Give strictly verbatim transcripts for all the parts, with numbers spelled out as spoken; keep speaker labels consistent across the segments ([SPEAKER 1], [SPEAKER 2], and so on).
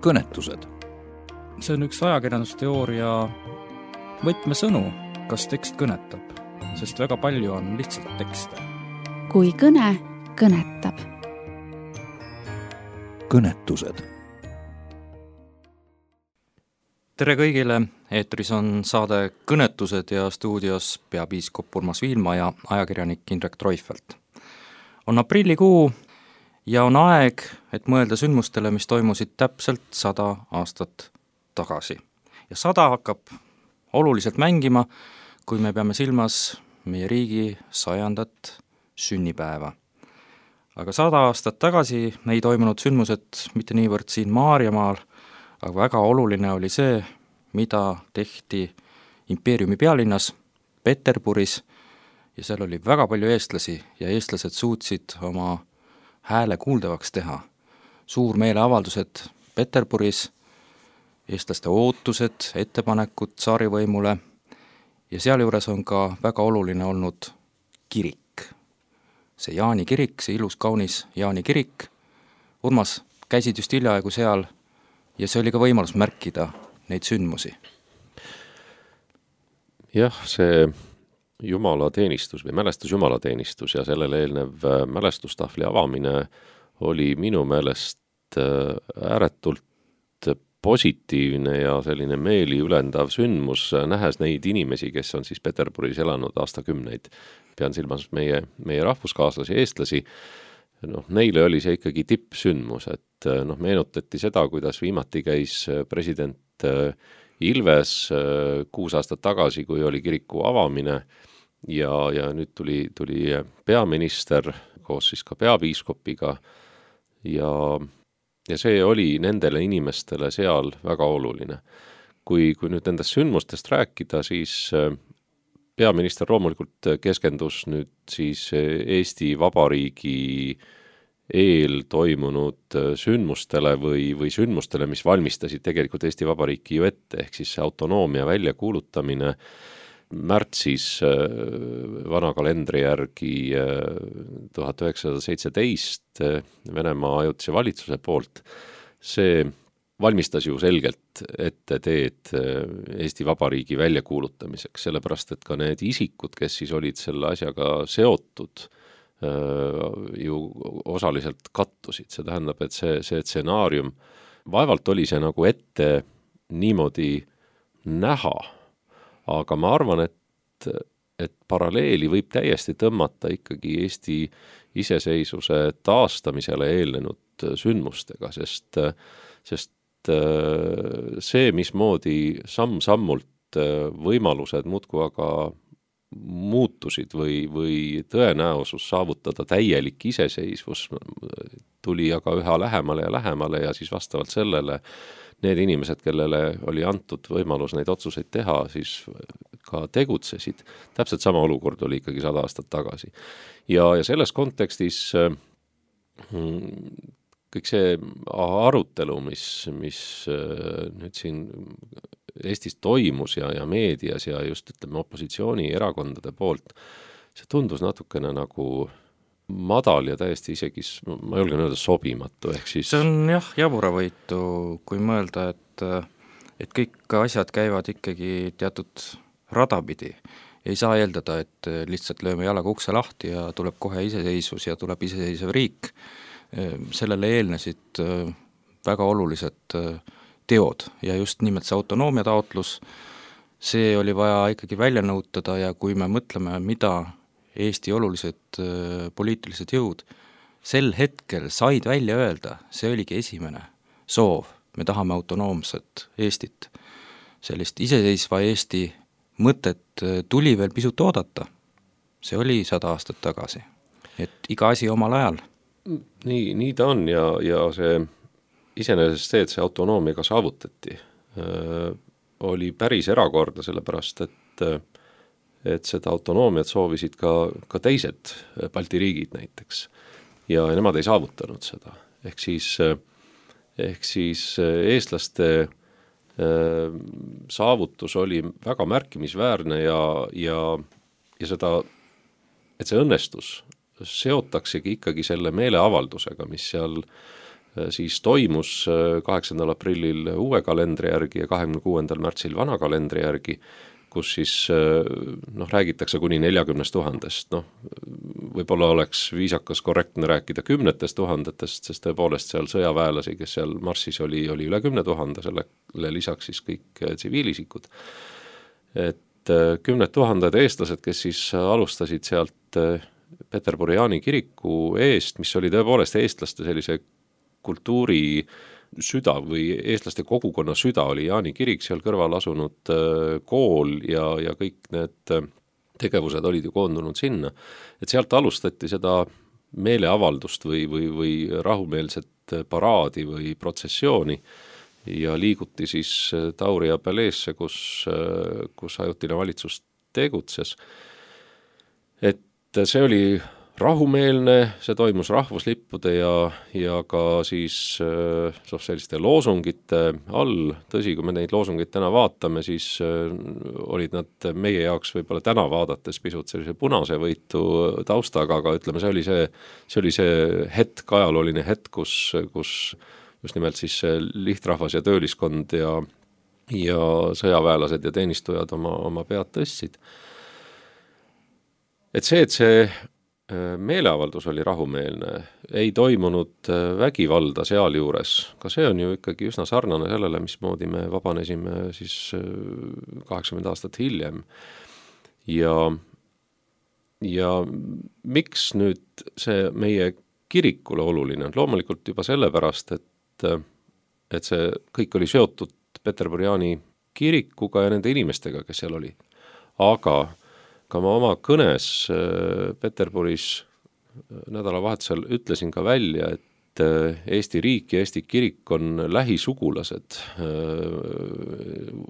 [SPEAKER 1] kõnetused.
[SPEAKER 2] See on üks ajakirjandusteooria võtmesõnu, kas tekst kõnetab, sest väga palju on lihtsalt tekste.
[SPEAKER 3] Kui kõne kõnetab.
[SPEAKER 1] Kõnetused.
[SPEAKER 2] Tere kõigile, eetris on saade Kõnetused ja stuudios peapiiskop Urmas Viilma ja ajakirjanik Indrek Treufelt. On aprillikuu ja on aeg, et mõelda sündmustele, mis toimusid täpselt sada aastat tagasi. Ja sada hakkab oluliselt mängima, kui me peame silmas meie riigi sajandat sünnipäeva. Aga sada aastat tagasi ei toimunud sündmused mitte niivõrd siin Maarjamaal, aga väga oluline oli see, mida tehti impeeriumi pealinnas Peterburis ja seal oli väga palju eestlasi ja eestlased suutsid oma hääle kuuldavaks teha. Suur meeleavaldused Peterburis, eestlaste ootused, ettepanekud tsaarivõimule ja seal juures on ka väga oluline olnud kirik. See Jaani kirik, see ilus kaunis Jaani kirik. Urmas, käisid just hiljaaegu seal ja see oli ka võimalus märkida neid sündmusi.
[SPEAKER 4] Jah, see jumalateenistus või mälestus jumalateenistus ja sellele eelnev mälestustahvli avamine oli minu meelest ääretult positiivne ja selline meeli ülendav sündmus, nähes neid inimesi, kes on siis Peterburis elanud aastakümneid. Pean silmas meie, meie rahvuskaaslasi, eestlasi. Noh, neile oli see ikkagi tippsündmus, et noh, meenutati seda, kuidas viimati käis president Ilves kuus aastat tagasi, kui oli kiriku avamine ja, ja nüüd tuli, tuli peaminister koos siis ka peapiiskopiga ja, ja see oli nendele inimestele seal väga oluline. Kui, kui nüüd nendest sündmustest rääkida, siis peaminister loomulikult keskendus nüüd siis Eesti Vabariigi eel toimunud sündmustele või, või sündmustele, mis valmistasid tegelikult Eesti Vabariiki ju ette, ehk siis see autonoomia väljakuulutamine märtsis vana kalendri järgi tuhat üheksasada seitseteist Venemaa ajutise valitsuse poolt. See valmistas ju selgelt ette teed Eesti Vabariigi väljakuulutamiseks, sellepärast et ka need isikud, kes siis olid selle asjaga seotud, ju osaliselt kattusid. See tähendab, et see, see stsenaarium, vaevalt oli see nagu ette niimoodi näha, aga ma arvan, et, et paralleeli võib täiesti tõmmata ikkagi Eesti iseseisvuse taastamisele eelnenud sündmustega, sest, sest see, mismoodi samm-sammult võimalused muudkui aga muutusid või, või tõenäosus saavutada täielik iseseisvus tuli aga üha lähemale ja lähemale ja siis vastavalt sellele need inimesed, kellele oli antud võimalus neid otsuseid teha, siis ka tegutsesid. Täpselt sama olukord oli ikkagi sada aastat tagasi. Ja, ja selles kontekstis kõik see arutelu, mis, mis nüüd siin Eestis toimus ja, ja meedias ja just ütleme opositsiooni erakondade poolt, see tundus natukene nagu madal ja täiesti isegi, ma julgen öelda, sobimatu. Ehk siis...
[SPEAKER 2] See on jah, jaburavõitu, kui mõelda, et, et kõik asjad käivad ikkagi teatud radapidi. Ei saa eeldada, et lihtsalt lööme jalaga ukse lahti ja tuleb kohe iseseisvus ja tuleb iseseisev riik. Sellele eelnesid väga olulised teod ja just nimelt see autonoomia taotlus, see oli vaja ikkagi välja nõutada ja kui me mõtleme, mida Eesti olulised poliitilised jõud sel hetkel said välja öelda, see oligi esimene soov. Me tahame autonoomset Eestit. Sellist iseseisva Eesti mõtet tuli veel pisut oodata. See oli sada aastat tagasi. Et iga asi omal ajal.
[SPEAKER 4] Nii, nii ta on ja, ja see iseenesest see, et see autonoomiaga saavutati, oli päris erakorda, sellepärast, et, et seda autonoomiat soovisid ka, ka teised Balti riigid näiteks. Ja nemad ei saavutanud seda. Ehk siis, ehk siis eestlaste saavutus oli väga märkimisväärne ja, ja, ja seda, et see õnnestus seotaksegi ikkagi selle meeleavaldusega, mis seal siis toimus kaheksandal aprillil uue kalendri järgi ja kahekümne kuuendal märtsil vana kalendri järgi, kus siis noh, räägitakse kuni neljakümnest tuhandest. Noh, võib-olla oleks viisakas korrektne rääkida kümnetest tuhandetest, sest tõepoolest seal sõjaväelasi, kes seal marssis oli, oli üle kümne tuhande, sellele lisaks siis kõik tsiviilisikud. Et kümned tuhanded eestlased, kes siis alustasid sealt Peterburi Jaani kiriku eest, mis oli tõepoolest eestlaste sellise kultuuri süda või eestlaste kogukonna süda oli Jaani kirik, seal kõrval asunud kool ja, ja kõik need tegevused olid ju koondunud sinna. Et sealt alustati seda meeleavaldust või, või, või rahumeelset paraadi või protsessiooni ja liiguti siis Tauri ja Peleesse, kus, kus ajutine valitsus tegutses. Et see oli rahumeelne, see toimus rahvuslippude ja, ja ka siis so, selliste loosungite all. Tõsi, kui me neid loosungid täna vaatame, siis olid nad meie jaoks võib-olla täna vaadates pisut sellise punase võitu taustaga, aga ütleme, see oli see, see, oli see hetk, ajalooline hetk, kus, kus just nimelt siis lihtrahvas ja tööliskond ja, ja sõjaväelased ja teenistujad oma, oma pead tõstsid. Et see, et see meeleavaldus oli rahumeelne, ei toimunud vägivalda seal juures, ka see on ju ikkagi üsna sarnane sellele, mismoodi me vabanesime siis kaheksakümmend aastat hiljem. Ja, ja miks nüüd see meie kirikule oluline on? Loomulikult juba sellepärast, et, et see kõik oli seotud Peterburi Jaani kirikuga ja nende inimestega, kes seal oli. Aga ka ma oma kõnes Peterburis nädalavahetusel ütlesin ka välja, et Eesti riik ja Eesti kirik on lähisugulased,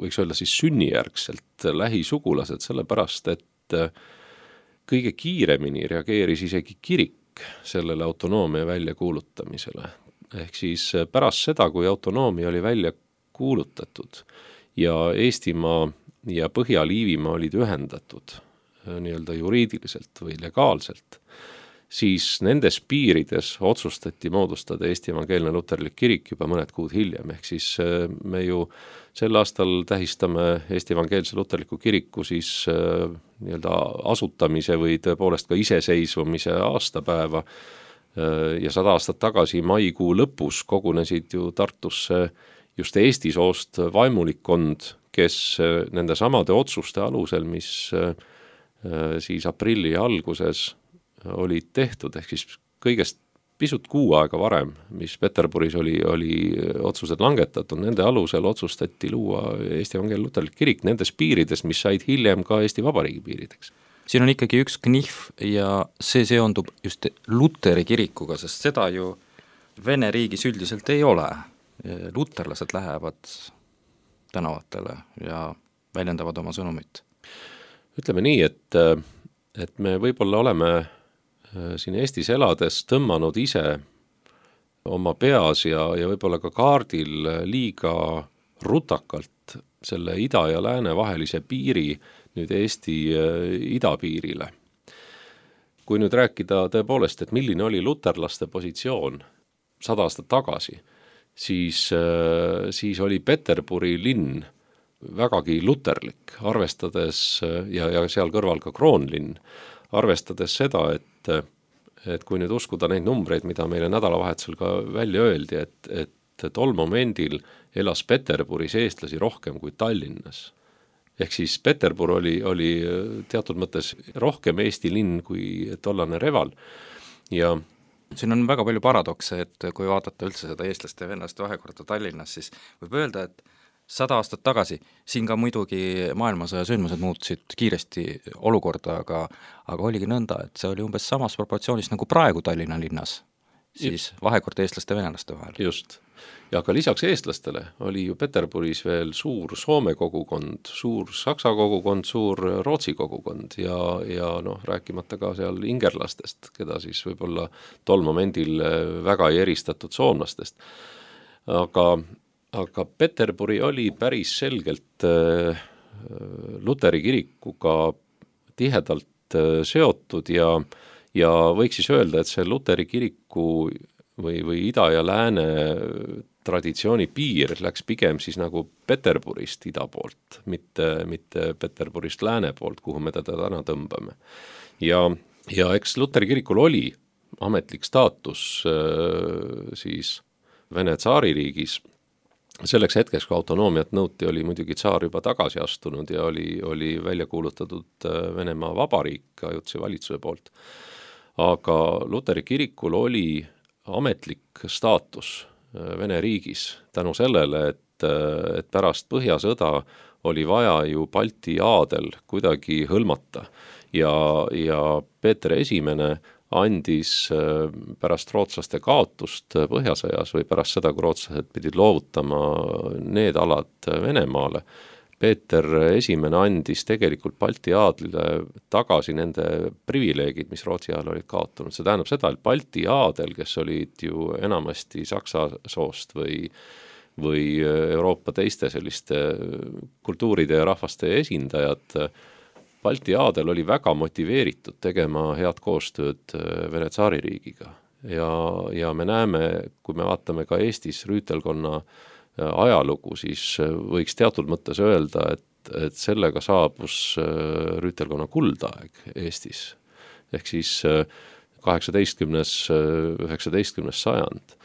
[SPEAKER 4] võiks öelda siis sünnijärgselt lähisugulased, sellepärast, et kõige kiiremini reageeris isegi kirik sellele autonoomia välja kuulutamisele. Ehk siis pärast seda, kui autonoomia oli välja kuulutatud ja Eestimaa ja Põhja-Liivimaa olid ühendatud nii-öelda juriidiliselt või legaalselt, siis nendes piirides otsustati moodustada Eesti Evangeelne Luterlik Kirik juba mõned kuud hiljem. Ehk siis me ju sel aastal tähistame Eesti Evangeelse Luterliku Kiriku siis nii-öelda asutamise või tõepoolest ka iseseisvumise aastapäeva ja sada aastat tagasi maikuu lõpus kogunesid ju Tartusse just Eesti soost vaimulikkond, kes nende samade otsuste alusel, mis siis aprilli alguses olid tehtud, ehk siis kõigest pisut kuu aega varem, mis Peterburis oli, oli otsused langetatud, nende alusel otsustati luua Eesti Evangeelne Luterlik Kirik nendes piirides, mis said hiljem ka Eesti Vabariigi piirideks.
[SPEAKER 2] Siin on ikkagi üks knihv ja see seondub just Luteri kirikuga, sest seda ju Vene riigis üldiselt ei ole. Luterlased lähevad tänavatele ja väljendavad oma sõnumit.
[SPEAKER 4] Ütleme nii, et, et me võib-olla oleme siin Eestis elades tõmmanud ise oma peas ja, ja võib-olla ka kaardil liiga rutakalt selle ida ja lääne vahelise piiri nüüd Eesti idapiirile. Kui nüüd rääkida tõepoolest, et milline oli luterlaste positsioon sada aastat tagasi, siis, siis oli Peterburi linn vägagi luterlik, arvestades ja, ja seal kõrval ka kroonlinn, arvestades seda, et, et kui nüüd uskuda neid numbreid, mida meile nädalavahetusel ka välja öeldi, et, et tol momendil elas Peterburis eestlasi rohkem kui Tallinnas. Ehk siis Peterbur oli, oli teatud mõttes rohkem Eesti linn kui tollane Reval. Ja
[SPEAKER 2] siin on väga palju paradokse, et kui vaadata üldse seda eestlaste ja venelaste vahekorda Tallinnas, siis võib öelda, et sada aastat tagasi, siin ka muidugi maailmasõja sündmused muutusid kiiresti olukorda, aga, aga oligi nõnda, et see oli umbes samas proportsioonis nagu praegu Tallinna linnas, siis vahekord eestlaste ja venelaste vahel.
[SPEAKER 4] Just. Ja ka lisaks eestlastele oli ju Peterburis veel suur Soome kogukond, suur Saksa kogukond, suur Rootsi kogukond ja, ja noh, rääkimata ka seal ingerlastest, keda siis võib-olla tol momendil väga ei eristatud soomlastest. Aga Aga Peterburi oli päris selgelt äh, Luteri kirikuga tihedalt äh, seotud ja, ja võiks siis öelda, et see Luteri kiriku või, või ida ja lääne traditsiooni piir läks pigem siis nagu Peterburist ida poolt, mitte, mitte Peterburist lääne poolt, kuhu me teda täna tõmbame. Ja, ja eks Luteri kirikul oli ametlik staatus siis Vene tsaaririigis. Selleks hetkeks, kui autonoomiat nõuti, oli muidugi tsaar juba tagasi astunud ja oli, oli välja kuulutatud Venemaa vabariik ajutise valitsuse poolt. Aga Luteri kirikul oli ametlik staatus Vene riigis tänu sellele, et, et pärast Põhjasõda oli vaja ju Balti aadel kuidagi hõlmata ja, ja Peeter Esimene andis pärast rootslaste kaotust Põhjasõjas või pärast seda, kui rootslased pidid loovutama need alad Venemaale, Peeter Esimene andis tegelikult Balti aadlile tagasi nende privileegid, mis Rootsi ajal olid kaotunud. See tähendab seda, et Balti aadel, kes olid ju enamasti saksa soost või, või Euroopa teiste selliste kultuuride ja rahvaste esindajad, Balti aadel oli väga motiveeritud tegema head koostööd Vene tsaaririigiga. Ja, ja me näeme, kui me vaatame ka Eestis rüütelkonna ajalugu, siis võiks teatud mõttes öelda, et, et sellega saabus rüütelkonna kuldaeg Eestis. Ehk siis kaheksateistkümnes, üheksateistkümnes sajand.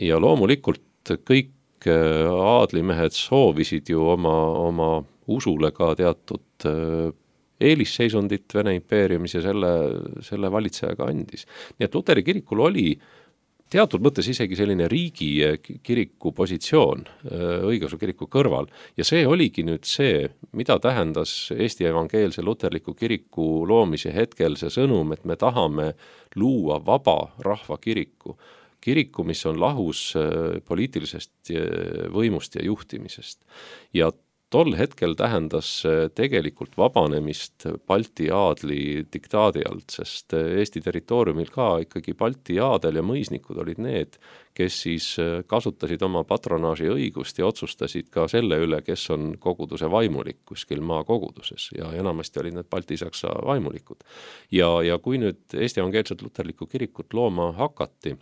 [SPEAKER 4] Ja loomulikult kõik aadlimehed soovisid ju oma, oma usule ka teatud eelisseisundit Vene impeeriumis ja selle, selle valitsejaga andis. Nii et Luteri kirikul oli teatud mõttes isegi selline riigi kiriku positsioon õigeusu kiriku kõrval ja see oligi nüüd see, mida tähendas Eesti evangeelse luterliku kiriku loomise hetkel see sõnum, et me tahame luua vaba rahva kiriku. Kiriku, mis on lahus poliitilisest võimust ja juhtimisest. Ja tol hetkel tähendas tegelikult vabanemist Balti aadli diktaadi alt, sest Eesti territooriumil ka ikkagi Balti aadel ja mõisnikud olid need, kes siis kasutasid oma patronaaži õigust ja otsustasid ka selle üle, kes on koguduse vaimulik kuskil maakoguduses ja enamasti olid need Balti-Saksa vaimulikud. Ja, ja kui nüüd Eesti evangeelset luterlikku kirikut looma hakati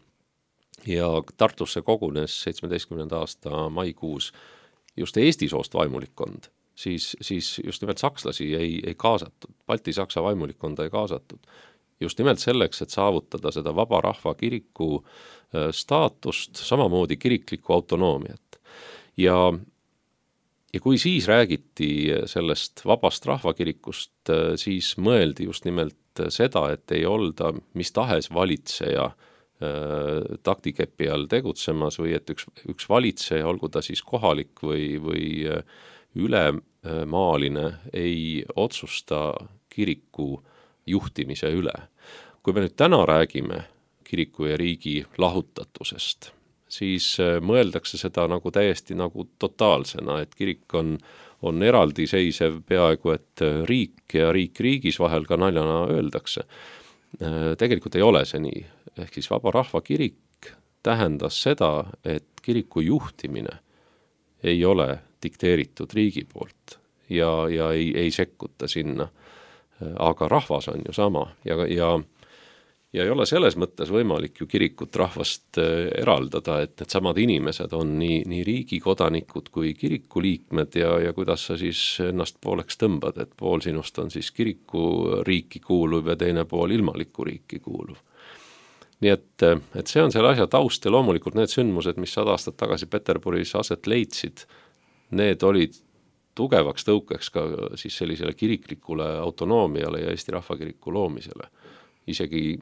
[SPEAKER 4] ja Tartusse kogunes seitsmeteistkümnenda aasta maikuus just Eesti soost vaimulikkond, siis, siis just nimelt sakslasi ei, ei kaasatud, Balti-Saksa vaimulikkonda ei kaasatud. Just nimelt selleks, et saavutada seda vaba rahva kiriku staatust, samamoodi kiriklikku autonoomiat. Ja, ja kui siis räägiti sellest vabast rahvakirikust, siis mõeldi just nimelt seda, et ei olda mis tahes valitseja taktikepi all tegutsemas või et üks, üks valitseja, olgu ta siis kohalik või, või ülemaaline, ei otsusta kiriku juhtimise üle. Kui me nüüd täna räägime kiriku ja riigi lahutatusest, siis mõeldakse seda nagu täiesti nagu totaalsena, et kirik on, on eraldiseisev peaaegu, et riik ja riik riigis vahel ka naljana öeldakse. Tegelikult ei ole see nii. Ehk siis vaba rahva kirik tähendas seda, et kiriku juhtimine ei ole dikteeritud riigi poolt ja, ja ei, ei sekkuta sinna. Aga rahvas on ju sama ja, ja, ja ei ole selles mõttes võimalik ju kirikut rahvast eraldada, et need samad inimesed on nii, nii riigi kodanikud kui kiriku liikmed ja, ja kuidas sa siis ennast pooleks tõmbad, et pool sinust on siis kiriku riiki kuuluv ja teine pool ilmaliku riiki kuuluv. Nii et, et see on selle asja taust ja loomulikult need sündmused, mis sada aastat tagasi Peterburis aset leidsid, need olid tugevaks tõukeks ka siis sellisele kiriklikule autonoomiale ja Eesti rahvakiriku loomisele. Isegi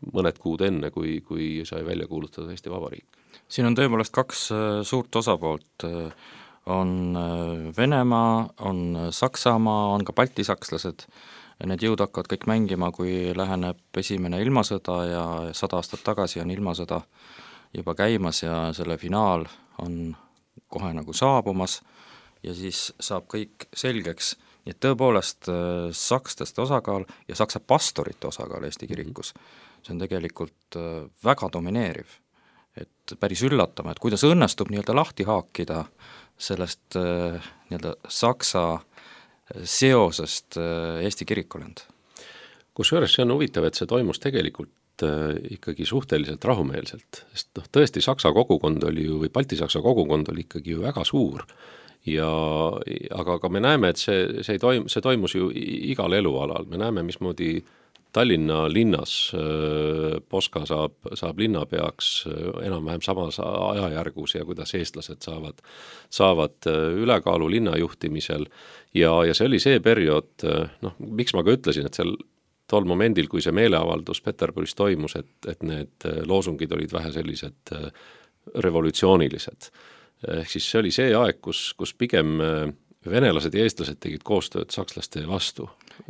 [SPEAKER 4] mõned kuud enne, kui, kui sai välja kuulutada Eesti Vabariik.
[SPEAKER 2] Siin on tõepoolest kaks suurt osapoolt. On Venemaa, on Saksamaa, on ka baltisakslased. Need jõud hakkavad kõik mängima, kui läheneb esimene ilmasõda ja sada aastat tagasi on ilmasõda juba käimas ja selle finaal on kohe nagu saabumas ja siis saab kõik selgeks. Nii et tõepoolest sakslaste osakaal ja saksa pastorite osakaal Eesti kirikus, see on tegelikult väga domineeriv. Et päris üllatama, et kuidas õnnestub nii-öelda lahti haakida sellest nii-öelda saksa seosest Eesti kirikulend.
[SPEAKER 4] Kusjuures see on huvitav, et see toimus tegelikult ikkagi suhteliselt rahumeelselt, sest noh, tõesti Saksa kogukond oli ju, või Balti-Saksa kogukond oli ikkagi ju väga suur ja aga, aga me näeme, et see, see, toim, see toimus ju igal elualal, me näeme, mismoodi Tallinna linnas Poska saab, saab linnapeaks enam-vähem samas ajajärgus ja kuidas eestlased saavad, saavad ülekaalu linna juhtimisel ja, ja see oli see periood, noh, miks ma ka ütlesin, et seal tol momendil, kui see meeleavaldus Peterburis toimus, et, et need loosungid olid vähe sellised revolutsioonilised. Ehk siis see oli see aeg, kus, kus pigem venelased ja eestlased tegid koostööd sakslaste vastu.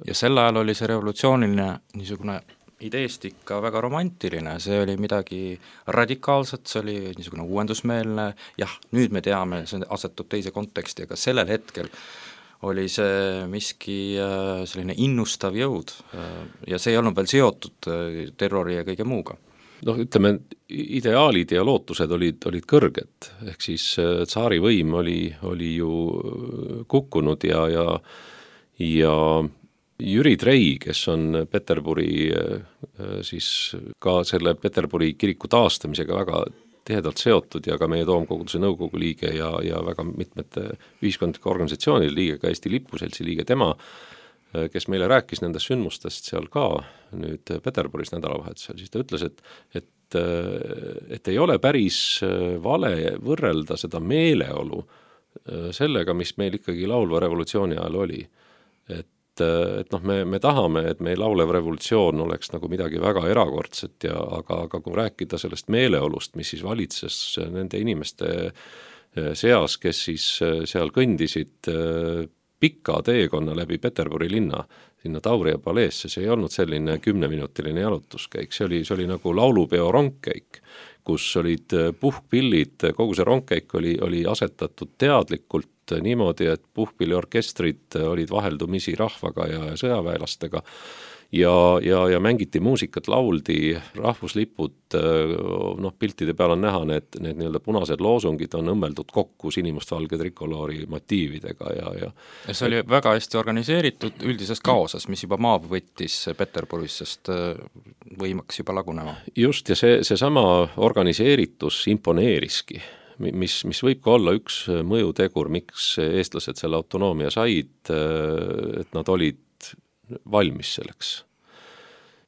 [SPEAKER 2] Ja sel ajal oli see revolutsiooniline niisugune ideest ikka väga romantiline, see oli midagi radikaalset, see oli niisugune uuendusmeelne, jah, nüüd me teame, see asetub teise konteksti, aga sellel hetkel oli see miski selline innustav jõud ja see ei olnud veel seotud terrori ja kõige muuga.
[SPEAKER 4] Noh, ütleme, ideaalid ja lootused olid, olid kõrged, ehk siis tsaari võim oli, oli ju kukkunud ja, ja, ja Jüri Trei, kes on Peterburi, siis ka selle Peterburi kiriku taastamisega väga tihedalt seotud ja ka meie Toomkoguduse nõukogu liige ja, ja väga mitmete ühiskondlike organisatsioonide liige, ka Eesti Lipuseltsi liige, tema, kes meile rääkis nendest sündmustest seal ka nüüd Peterburis nädalavahetusel, siis ta ütles, et, et, et ei ole päris vale võrrelda seda meeleolu sellega, mis meil ikkagi laulva revolutsiooni ajal oli. Et, et noh, me, me tahame, et meil laulev revolutsioon oleks nagu midagi väga erakordset, ja, aga, aga kui rääkida sellest meeleolust, mis siis valitses nende inimeste seas, kes siis seal kõndisid pika teekonna läbi Peterburi linna, sinna Tauria paleesse, see ei olnud selline kümneminutiline jalutuskäik, see oli, see oli nagu laulupeo rongkäik, kus olid puhkpillid, kogu see rongkäik oli, oli asetatud teadlikult niimoodi, et puhkpilliorkestrid olid vaheldumisi rahvaga ja sõjaväelastega ja, ja, ja mängiti muusikat, lauldi, rahvuslipud, noh, piltide peal on näha, need, need nii-öelda punased loosungid on õmmeldud kokku sinimustvalge trikoloori motiividega ja, ja
[SPEAKER 2] ja see oli väga hästi organiseeritud üldises kaoses, mis juba maab võttis Peterburis, sest võimaks juba lagunema. Just,
[SPEAKER 4] ja see, see sama organiseeritus imponeeriski, mis, mis võib ka olla üks mõjutegur, miks eestlased selle autonoomia said, et nad olid valmis selleks.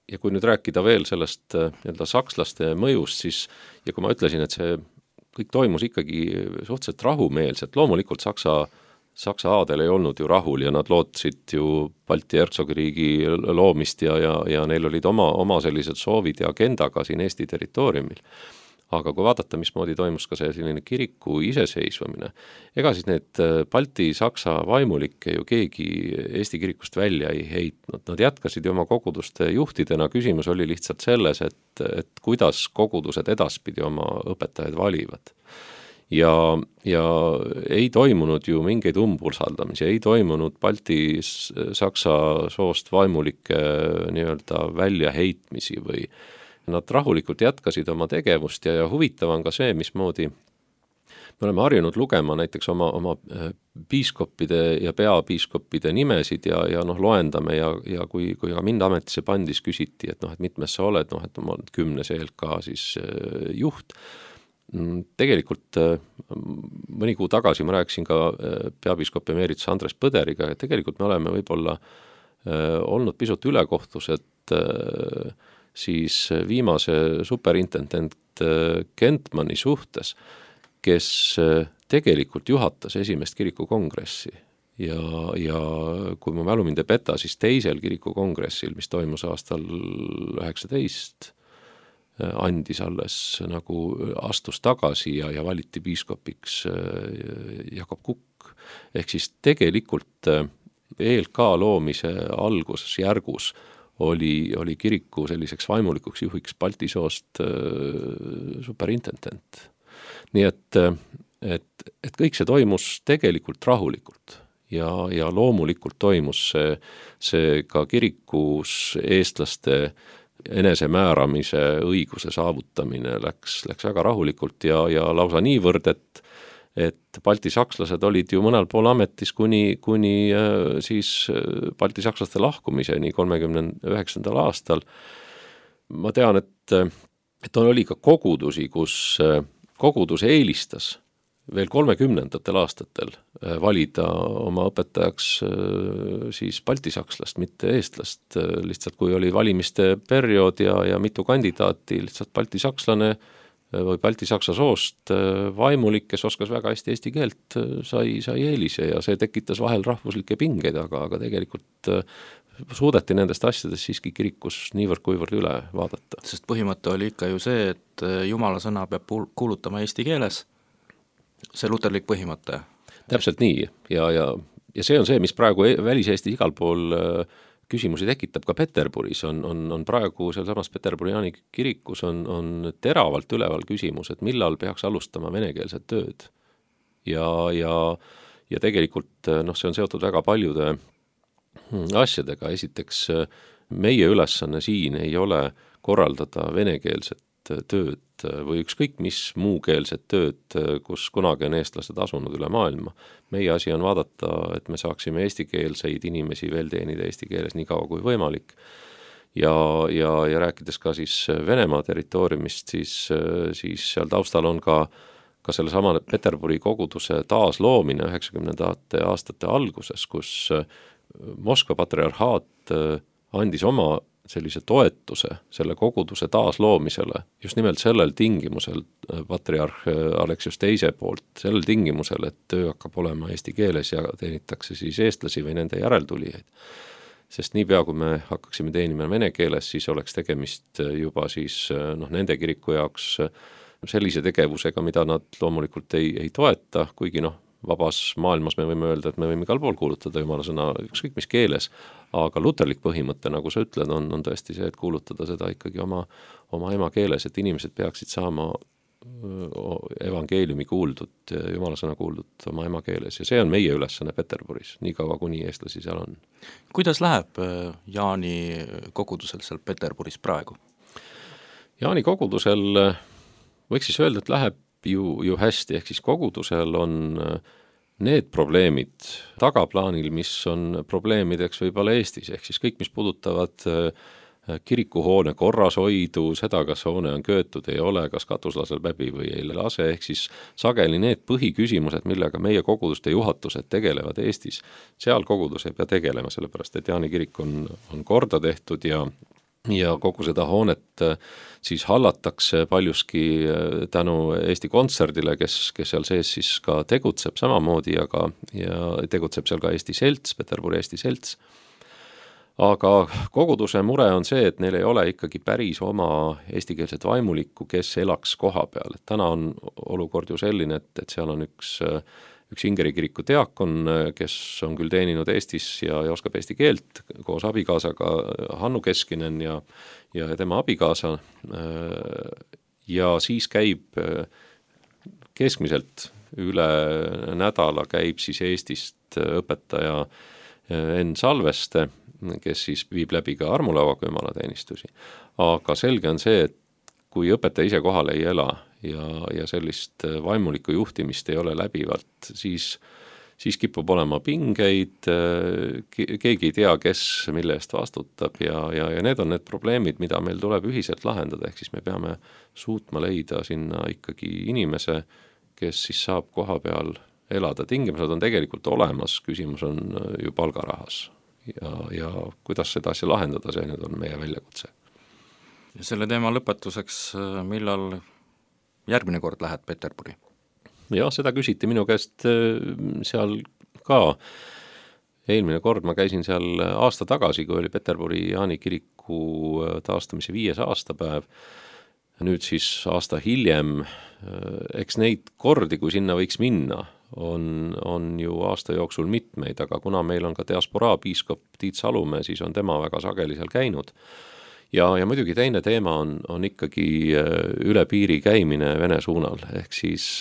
[SPEAKER 4] Ja kui nüüd rääkida veel sellest nii-öelda sakslaste mõjust, siis ja kui ma ütlesin, et see kõik toimus ikkagi suhteliselt rahumeelselt, loomulikult Saksa, Saksa aadel ei olnud ju rahul ja nad lootsid ju Balti hertsogiriigi loomist ja, ja, ja neil olid oma, oma sellised soovid ja agenda ka siin Eesti territooriumil. Aga kui vaadata, mismoodi toimus ka see selline kiriku iseseisvamine, ega siis need Balti-Saksa vaimulikke ju keegi Eesti kirikust välja ei heitnud. Nad jätkasid ju oma koguduste juhtidena, küsimus oli lihtsalt selles, et, et kuidas kogudused edaspidi oma õpetajaid valivad. Ja, ja ei toimunud ju mingeid umbusaldamisi, ei toimunud Balti-Saksa soost vaimulike nii-öelda väljaheitmisi või nad rahulikult jätkasid oma tegevust ja, ja huvitav on ka see, mismoodi me oleme harjunud lugema näiteks oma, oma piiskoppide ja peapiiskoppide nimesid ja, ja noh, loendame ja, ja kui, kui ka mind ametisse pandis, küsiti, et noh, et mitmes sa oled, noh, et ma olen kümnes E L K siis juht. Tegelikult mõni kuu tagasi ma rääkisin ka peapiiskop emeritus Andres Põderiga, et tegelikult me oleme võib-olla olnud pisut ülekohtused siis viimase superintendent Kentmani suhtes, kes tegelikult juhatas esimest kirikukongressi ja, ja kui mu mälu mind ei peta, siis teisel kirikukongressil, mis toimus aastal üheksateist, andis alles nagu astus tagasi ja, ja valiti piiskopiks Jakob Kukk. Ehk siis tegelikult E L K loomise alguses järgus oli, oli kiriku selliseks vaimulikuks juhiks Balti soost äh, superintendent. Nii et, et, et kõik see toimus tegelikult rahulikult ja, ja loomulikult toimus see, see ka kirikus eestlaste enesemääramise õiguse saavutamine läks, läks väga rahulikult ja, ja lausa niivõrd, et et baltisakslased olid ju mõnel pool ametis kuni, kuni äh, siis baltisakslaste lahkumiseni kolmekümne üheksandal aastal ma tean, et, et oli ka kogudusi, kus kogudus eelistas veel kolmekümnendatel aastatel valida oma õpetajaks siis baltisakslast, mitte eestlast, lihtsalt kui oli valimiste periood ja, ja mitu kandidaati, lihtsalt baltisakslane või baltisaksa soost vaimulik, kes oskas väga hästi eesti keelt, sai, sai eelise ja see tekitas vahel rahvuslikke pingeid, aga, aga tegelikult suudeti nendest asjadest siiski kirikus niivõrd kuivõrd üle vaadata.
[SPEAKER 2] Sest põhimõte oli ikka ju see, et Jumala sõna peab kuulutama eesti keeles, see luterlik põhimõte.
[SPEAKER 4] Täpselt nii ja, ja, ja see on see, mis praegu välis-Eesti igal pool küsimusi tekitab ka Peterburis, on, on, on praegu seal samas Peterburi Jaani kirikus on, on teravalt üleval küsimus, et millal peaks alustama venekeelset tööd. Ja, ja, ja tegelikult noh, see on seotud väga paljude asjadega. Esiteks meie ülesanne siin ei ole korraldada venekeelset tööd või ükskõik mis muukeelset tööd, kus kunagi on eestlased asunud üle maailma. Meie asi on vaadata, et me saaksime eestikeelseid inimesi veel teenida eesti keeles nii kaua kui võimalik. Ja, ja, ja rääkides ka siis Venemaa territooriumist, siis, siis seal taustal on ka, ka selle sama Peterburi koguduse taasloomine üheksakümnendate aastate alguses, kus Moskva patriarhaat andis oma sellise toetuse selle koguduse taasloomisele, just nimelt sellel tingimusel patriarh Aleksius teise poolt, sellel tingimusel, et töö hakkab olema eesti keeles ja teenitakse siis eestlasi või nende järeltulijaid. Sest niipea, kui me hakkaksime teenima vene keeles, siis oleks tegemist juba siis noh, nende kiriku jaoks sellise tegevusega, mida nad loomulikult ei, ei toeta, kuigi noh, vabas maailmas me võime öelda, et me võime igal pool kuulutada Jumala sõna ükskõik mis keeles, aga luterlik põhimõte, nagu sa ütled, on, on tõesti see, et kuulutada seda ikkagi oma, oma emakeeles, et inimesed peaksid saama evangeeliumi kuuldud, Jumala sõna kuuldud oma emakeeles ja see on meie ülesanne Peterburis, nii kaua kuni eestlasi seal on.
[SPEAKER 2] Kuidas läheb Jaani kogudusel seal Peterburis praegu?
[SPEAKER 4] Jaani kogudusel võiks siis öelda, et läheb Ju, ju hästi, ehk siis kogudusel on need probleemid tagaplaanil, mis on probleemideks võib-olla Eestis, ehk siis kõik, mis puudutavad kirikuhoone korrashoidu, seda, kas hoone on köötud, ei ole, kas katus laseb läbi või ei lase, ehk siis sageli need põhiküsimused, millega meie koguduste juhatused tegelevad Eestis, seal kogudus ei pea tegelema, sellepärast et Jaani kirik on, on korda tehtud ja ja kogu seda hoonet siis hallatakse paljuski tänu Eesti Kontserdile, kes, kes seal sees siis ka tegutseb samamoodi ja, ka, ja tegutseb seal ka Eesti Selts, Peterburi Eesti Selts. Aga koguduse mure on see, et neil ei ole ikkagi päris oma eestikeelset vaimulikku, kes elaks koha peal. Et täna on olukord ju selline, et, et seal on üks üks Ingeri kiriku diakon, kes on küll teeninud Eestis ja, ja oskab eesti keelt koos abikaasaga Hannu Keskinen ja, ja tema abikaasa ja siis käib keskmiselt üle nädala käib siis Eestist õpetaja Enn Salveste, kes siis viib läbi ka armulauaga jumalateenistusi. Aga selge on see, et kui õpetaja ise kohal ei ela ja, ja sellist vaimulikku juhtimist ei ole läbivalt, siis, siis kipub olema pingeid, keegi ei tea, kes mille eest vastutab ja, ja, ja need on need probleemid, mida meil tuleb ühiselt lahendada, ehk siis me peame suutma leida sinna ikkagi inimese, kes siis saab koha peal elada. Tingimused on tegelikult olemas, küsimus on ju palgarahas ja, ja kuidas seda asja lahendada, see nüüd on meie väljakutse.
[SPEAKER 2] Selle teema lõpetuseks, millal järgmine kord lähed Peterburi?
[SPEAKER 4] Ja seda küsiti minu käest seal ka. Eelmine kord ma käisin seal aasta tagasi, kui oli Peterburi Jaani kiriku taastamise viies aastapäev. Nüüd siis aasta hiljem, eks neid kordi, kui sinna võiks minna, on, on ju aasta jooksul mitmeid, aga kuna meil on ka diasporaa piiskop Tiit Salumäe, siis on tema väga sageli seal käinud. Ja, ja muidugi teine teema on, on ikkagi üle piiri käimine Vene suunal, ehk siis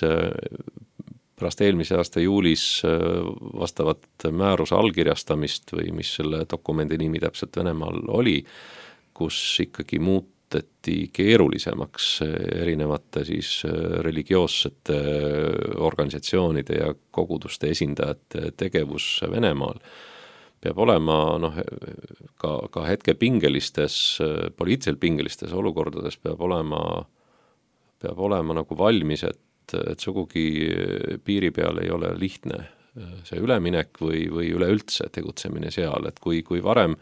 [SPEAKER 4] pärast eelmise aasta juulis vastavat määruse allkirjastamist või mis selle dokumendi nimi täpselt Venemaal oli, kus ikkagi muuteti keerulisemaks erinevate siis religioossete organisatsioonide ja koguduste esindajate tegevus Venemaal. peab olema noh, ka, ka hetke pingelistes, poliitiliselt pingelistes olukordades peab olema, peab olema nagu valmis, et, et sugugi piiri peal ei ole lihtne see üleminek või, või üleüldse tegutsemine seal, et kui, kui varem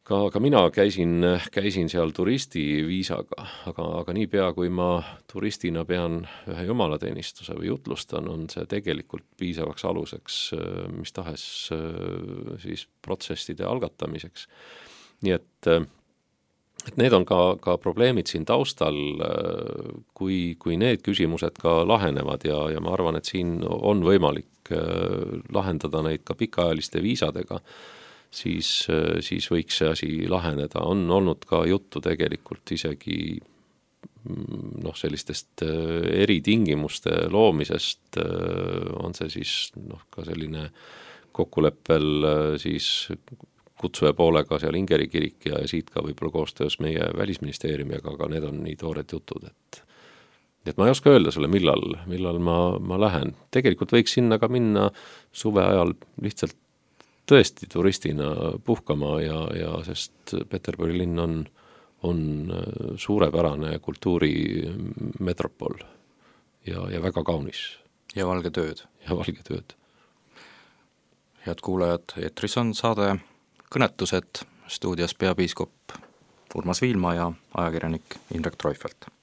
[SPEAKER 4] ka, ka mina käisin, käisin seal turistiviisaga, aga, aga niipea, kui ma turistina pean ühe jumalateenistuse või jutlustan, on see tegelikult piisavaks aluseks mis tahes siis protsesside algatamiseks. Nii et, et need on ka, ka probleemid siin taustal, kui, kui need küsimused ka lahenevad ja, ja ma arvan, et siin on võimalik lahendada neid ka pikaajaliste viisadega, siis, siis võiks see asi laheneda. On olnud ka juttu tegelikult isegi noh, sellistest eritingimuste loomisest, on see siis noh, ka selline kokkuleppel siis kutsuja poolega seal Ingeri kirik ja siit ka võib-olla koostöös meie välisministeeriumiga, aga need on nii toored jutud, et et ma ei oska öelda sulle, millal, millal ma, ma lähen. Tegelikult võiks sinna ka minna suve ajal lihtsalt tõesti turistina puhkama ja, ja sest Peterburi linn on, on suurepärane kultuurimetropol ja, ja väga kaunis.
[SPEAKER 2] Ja valge tööd.
[SPEAKER 4] Ja valge tööd.
[SPEAKER 2] Head kuulajad, eetris on saade Kõnetused, stuudios peapiiskop Urmas Viilma ja ajakirjanik Indrek Treufelt.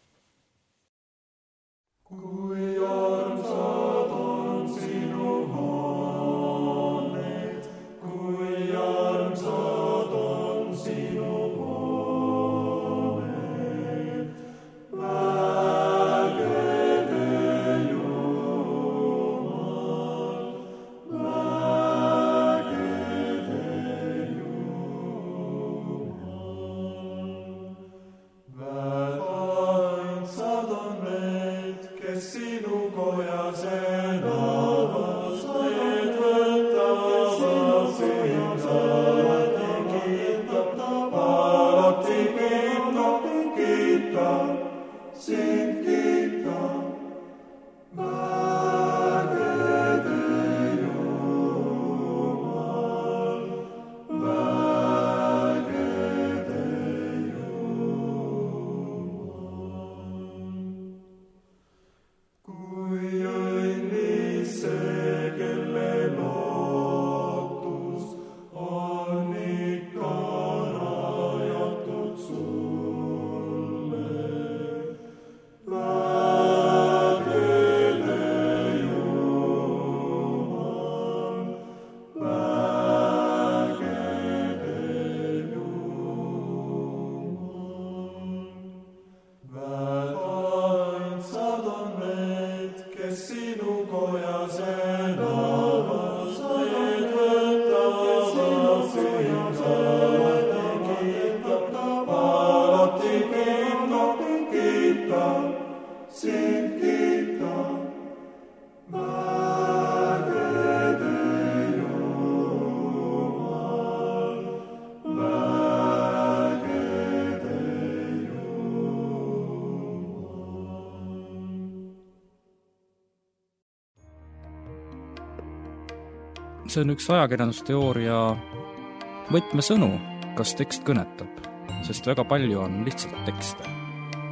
[SPEAKER 2] Kui armsad on sinu hooned, kui armsad on sinu hooned, vägede Jumal, vägede Jumal, vägainsad on need, kes sinu kojas elavad, need võtavad sind alati kiitab, alati kiitab, kiitab, sind kiitab, vägede Jumal, vägede Kui õnnis see, kelle lootus on ikka rajatud sulle. Vägede Jumal, vägede Jumal, vägainsad on need, kes sinu kojas elavad, need võtavad sind alati kiitab, alati kiitab, kiitab, sind kiitab, vägede Jumal, vägede See on üks ajakirjandusteooria võtmesõnu, kas tekst kõnetab, sest väga palju on lihtsalt tekste.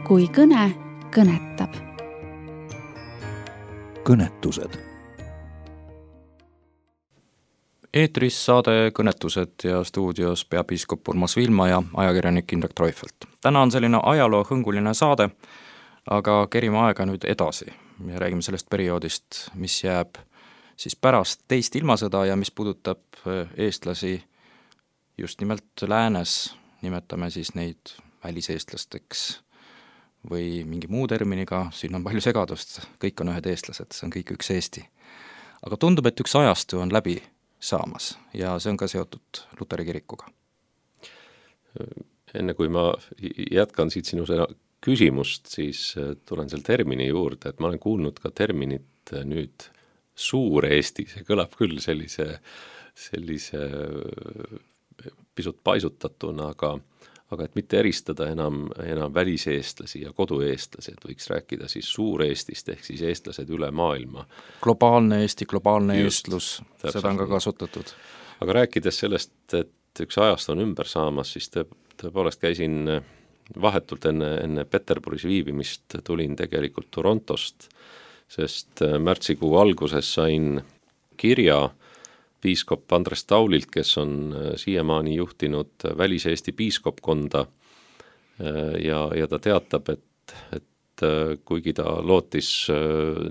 [SPEAKER 3] Kui kõne kõnetab.
[SPEAKER 2] Kõnetused. Eetris saade Kõnetused ja stuudios peapiiskop Urmas Viilma ja ajakirjanik Indrek Treufelt. Täna on selline ajaloohõnguline saade, aga kerime aega nüüd edasi ja räägime sellest perioodist, mis jääb siis pärast teist ilmasõda ja mis puudutab eestlasi just nimelt läänes, nimetame siis neid väliseestlasteks või mingi muu terminiga, siin on palju segadust, kõik on ühed eestlased, see on kõik üks Eesti. Aga tundub, et üks ajastu on läbi saamas ja see on ka seotud Luteri kirikuga.
[SPEAKER 4] Enne kui ma jätkan siit sinu küsimust, siis tulen selle termini juurde, et ma olen kuulnud ka terminit nüüd suur Eesti, see kõlab küll sellise, sellise pisut paisutatuna, aga, aga et mitte eristada enam, enam väliseestlasi ja kodueestlasi, et võiks rääkida siis suur Eestist, ehk siis eestlased üle maailma.
[SPEAKER 2] Globaalne Eesti, globaalne Just, eestlus, seda on ka kasutatud.
[SPEAKER 4] aga rääkides sellest, et üks ajast on ümber saamas, siis tõe, tõepoolest käisin vahetult enne, enne Peterburis viibimist, tulin tegelikult Torontost, sest märtsikuu alguses sain kirja piiskop Andres Taulilt, kes on siiamaani juhtinud Välis-Eesti piiskopkonda ja, ja ta teatab, et, et kuigi ta lootis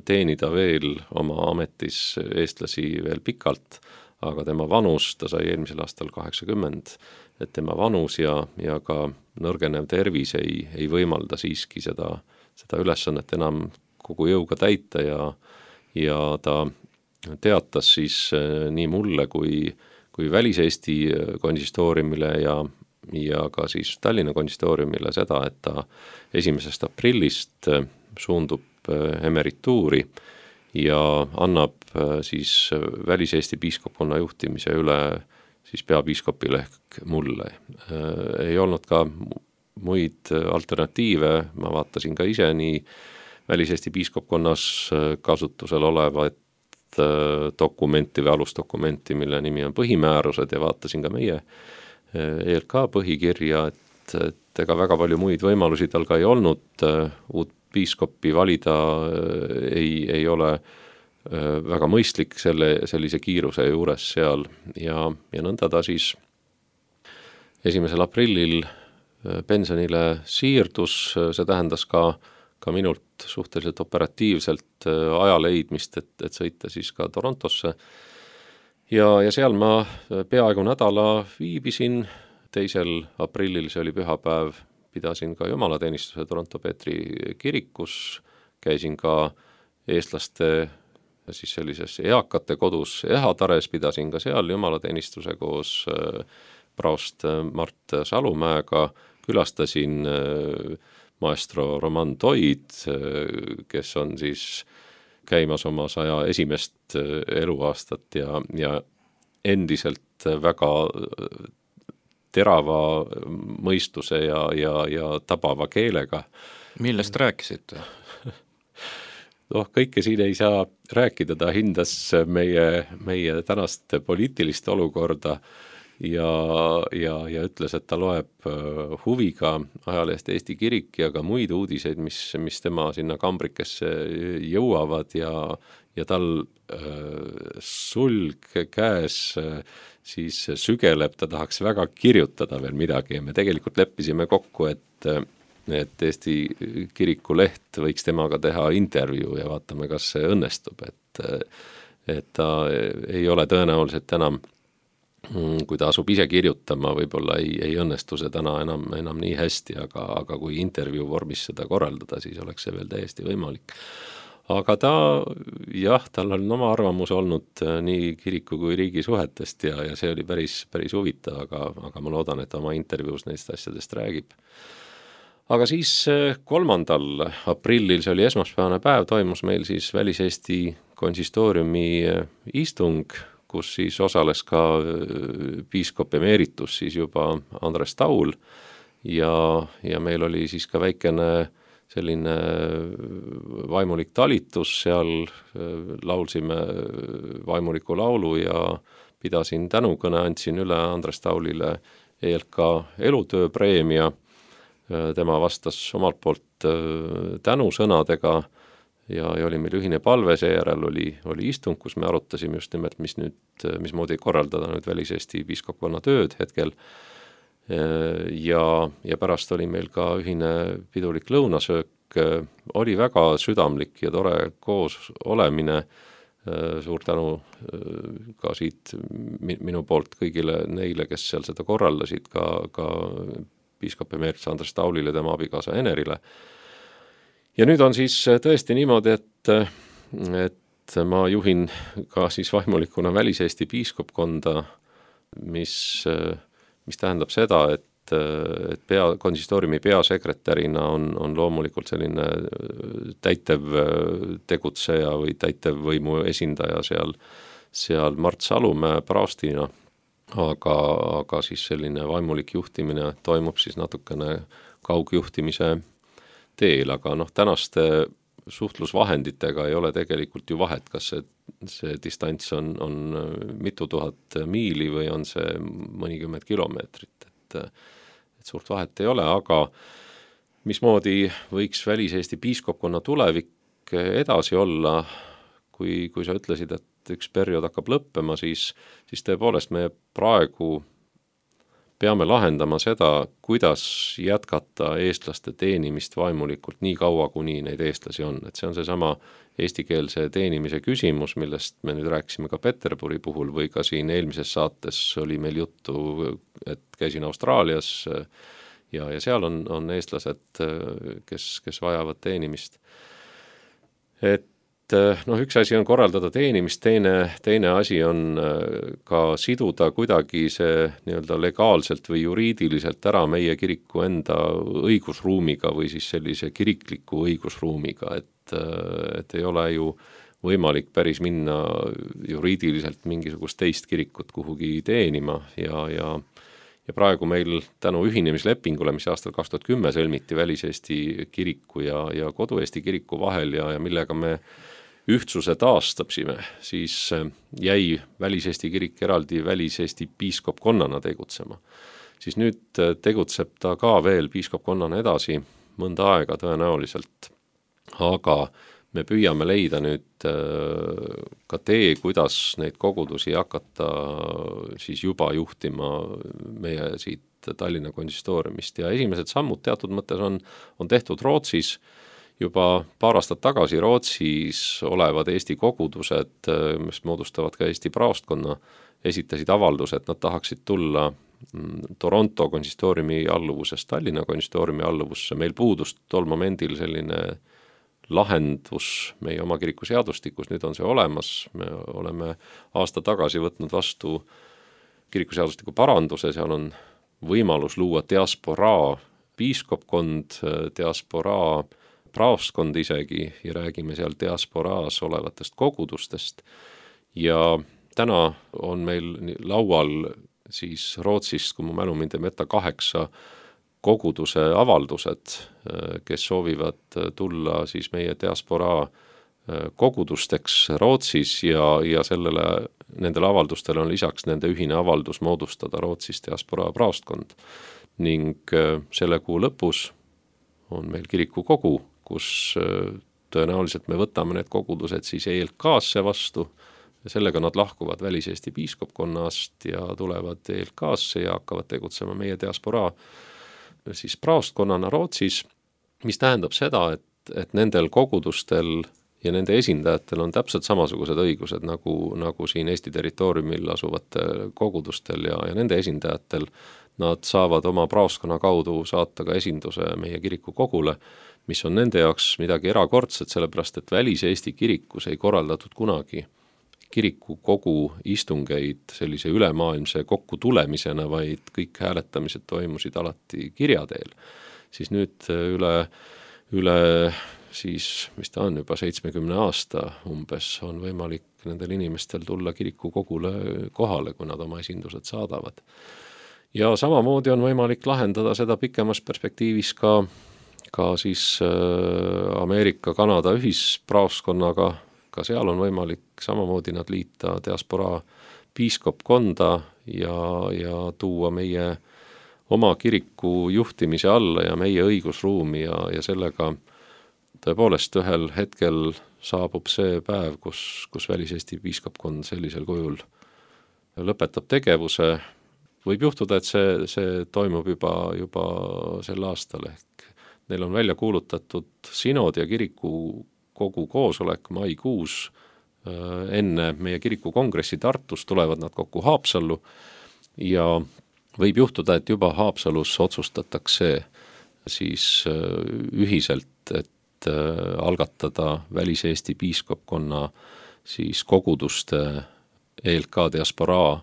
[SPEAKER 4] teenida veel oma ametis eestlasi veel pikalt, aga tema vanus, ta sai eelmisel aastal kaheksakümmend, et tema vanus ja, ja ka nõrgenev tervis ei, ei võimalda siiski seda, seda ülesannet enam kogu jõuga täita ja, ja ta teatas siis nii mulle kui, kui Välis-Eesti konsistooriumile ja, ja ka siis Tallinna konsistooriumile seda, et ta esimesest aprillist suundub emerituuri ja annab siis Välis-Eesti piiskopkonna juhtimise üle siis peapiiskopile ehk mulle. Ei olnud ka muid alternatiive, ma vaatasin ka ise nii Välis-Eesti piiskopkonnas kasutusel olevat dokumenti või alusdokumenti, mille nimi on põhimäärused ja vaatasin ka meie E L K põhikirja, et, et ega väga palju muid võimalusi tal ka ei olnud, uut piiskopi valida ei, ei ole väga mõistlik selle, sellise kiiruse juures seal ja, ja nõnda ta siis esimesel aprillil pensionile siirdus, see tähendas ka ka minult suhteliselt operatiivselt aja leidmist, et, et sõita siis ka Torontosse. Ja, ja seal ma peaaegu nädala viibisin, teisel aprillil, see oli pühapäev, pidasin ka jumalateenistuse Toronto Peetri kirikus, käisin ka eestlaste siis sellises eakate kodus Ehatares, pidasin ka seal jumalateenistuse koos praost Mart Salumäega, külastasin maestro Roman Toid, kes on siis käimas oma saja esimest eluaastat ja, ja endiselt väga terava mõistuse ja, ja, ja tabava keelega.
[SPEAKER 2] Millest rääkisite?
[SPEAKER 4] noh, kõike siin ei saa rääkida, ta hindas meie, meie tänast poliitilist olukorda ja, ja, ja ütles, et ta loeb huviga ajalehest Eesti Kirik ja ka muid uudiseid, mis, mis tema sinna kambrikesse jõuavad ja, ja tal äh, sulg käes äh, siis sügeleb, ta tahaks väga kirjutada veel midagi ja me tegelikult leppisime kokku, et et Eesti Kiriku leht võiks temaga teha intervjuu ja vaatame, kas see õnnestub, et, et ta ei ole tõenäoliselt enam, kui ta asub ise kirjutama, võib-olla ei, ei õnnestu see täna enam, enam nii hästi, aga, aga kui intervjuu vormis seda korraldada, siis oleks see veel täiesti võimalik. Aga ta, jah, tal on oma arvamus olnud nii kiriku kui riigi suhetest ja, ja see oli päris, päris huvitav, aga, aga ma loodan, et oma intervjuus neist asjadest räägib. Aga siis kolmandal aprillil, see oli esmaspäevane päev, toimus meil siis Välis-Eesti konsistooriumi istung, kus siis osales ka piiskop emeritus siis juba Andres Taul ja, ja meil oli siis ka väikene selline vaimulik talitus, seal laulsime vaimuliku laulu ja pidasin tänukõne, andsin üle Andres Taulile E L K elutööpreemia. Tema vastas omalt poolt tänusõnadega ja, ja oli meil ühine palve, seejärel oli, oli istung, kus me arutasime just nimelt, mis nüüd, mismoodi korraldada nüüd Välis-Eesti piiskopkonna tööd hetkel. Ja, ja pärast oli meil ka ühine pidulik lõunasöök, oli väga südamlik ja tore koos olemine. Suur tänu ka siit minu poolt kõigile neile, kes seal seda korraldasid, ka, ka piiskop emeritus Andres Taulile, tema abikaasa Enerile. Ja nüüd on siis tõesti niimoodi, et, et ma juhin ka siis vaimulikuna Välis-Eesti piiskopkonda, mis, mis tähendab seda, et, et pea, konsistooriumi peasekretärina on, on loomulikult selline täitev tegutseja või täitevvõimu esindaja seal, seal Mart Salumäe praostina. Aga, aga siis selline vaimulik juhtimine toimub siis natukene kaugjuhtimise teel, aga noh, tänaste suhtlusvahenditega ei ole tegelikult ju vahet, kas see, see distants on, on mitu tuhat miili või on see mõnikümmend kilomeetrit, et, et suurt vahet ei ole, aga mismoodi võiks Välis-Eesti piiskopkonna tulevik edasi olla, kui, kui sa ütlesid, et üks periood hakkab lõppema, siis, siis tõepoolest me praegu peame lahendama seda, kuidas jätkata eestlaste teenimist vaimulikult nii kaua, kuni neid eestlasi on. Et see on seesama eestikeelse teenimise küsimus, millest me nüüd rääkisime ka Peterburi puhul või ka siin eelmises saates oli meil juttu, et käisin Austraalias ja, ja seal on, on eestlased, kes, kes vajavad teenimist. Et noh, üks asi on korraldada teenimist, teine, teine asi on ka siduda kuidagi see nii-öelda legaalselt või juriidiliselt ära meie kiriku enda õigusruumiga või siis sellise kirikliku õigusruumiga, et, et ei ole ju võimalik päris minna juriidiliselt mingisugust teist kirikut kuhugi teenima ja, ja ja praegu meil tänu ühinemislepingule, mis aastal kaks tuhat kümme sõlmiti Välis-Eesti kiriku ja, ja Kodu-Eesti kiriku vahel ja, ja millega me ühtsuse taastabsime, siis jäi Välis-Eesti kirik eraldi Välis-Eesti piiskopkonnana tegutsema. Siis nüüd tegutseb ta ka veel piiskopkonnana edasi mõnda aega tõenäoliselt, aga me püüame leida nüüd ka tee, kuidas neid kogudusi hakata siis juba juhtima meie siit Tallinna konsistooriumist ja esimesed sammud teatud mõttes on, on tehtud Rootsis. Juba paar aastat tagasi Rootsis olevad Eesti kogudused, mis moodustavad ka Eesti praostkonna, esitasid avalduse, et nad tahaksid tulla Toronto konsistooriumi alluvusest Tallinna konsistooriumi alluvusse. Meil puudus tol momendil selline lahendus meie oma kiriku seadustikus, nüüd on see olemas, me oleme aasta tagasi võtnud vastu kiriku seadustiku paranduse, seal on võimalus luua diasporaa piiskopkond, diasporaa praostkond isegi ja räägime seal diasporaas olevatest kogudustest ja täna on meil laual siis Rootsist, kui mu mälu mind ei meta, kaheksa koguduse avaldused, kes soovivad tulla siis meie diasporaa kogudusteks Rootsis ja, ja sellele, nendele avaldustele on lisaks nende ühine avaldus moodustada Rootsis diasporaa praostkond ning selle kuu lõpus on meil kiriku kogu, kus tõenäoliselt me võtame need kogudused siis E L K-sse vastu ja sellega nad lahkuvad Välis-Eesti piiskopkonnast ja tulevad E L K-sse ja hakkavad tegutsema meie diasporaa siis praostkonnana Rootsis, mis tähendab seda, et, et nendel kogudustel ja nende esindajatel on täpselt samasugused õigused nagu, nagu siin Eesti territooriumil asuvatel kogudustel ja, ja nende esindajatel nad saavad oma praostkonna kaudu saata ka esinduse meie kiriku kogule, mis on nende jaoks midagi erakordset, sellepärast et Välis-Eesti kirikus ei korraldatud kunagi kiriku kogu istungeid sellise ülemaailmse kokkutulemisena, vaid kõik hääletamised toimusid alati kirja teel. Siis nüüd üle, üle siis, mis ta on, juba seitsmekümne aasta umbes on võimalik nendel inimestel tulla kiriku kogule kohale, kui nad oma esindused saadavad. Ja samamoodi on võimalik lahendada seda pikemas perspektiivis ka, ka siis Ameerika, Kanada ühispraoskonnaga, ka seal on võimalik samamoodi nad liita diasporaa piiskopkonda ja, ja tuua meie oma kiriku juhtimise alla ja meie õigusruumi ja, ja sellega tõepoolest ühel hetkel saabub see päev, kus, kus Välis-Eesti piiskopkond sellisel kujul lõpetab tegevuse. Võib juhtuda, et see, see toimub juba, juba sel aastal ehk neil on välja kuulutatud sinod ja kiriku kogu koosolek maikuus enne meie kiriku kongressi Tartus tulevad nad kokku Haapsallu ja võib juhtuda, et juba Haapsalus otsustatakse siis ühiselt, et algatada Välis-Eesti piiskopkonna siis koguduste E L K diasporaa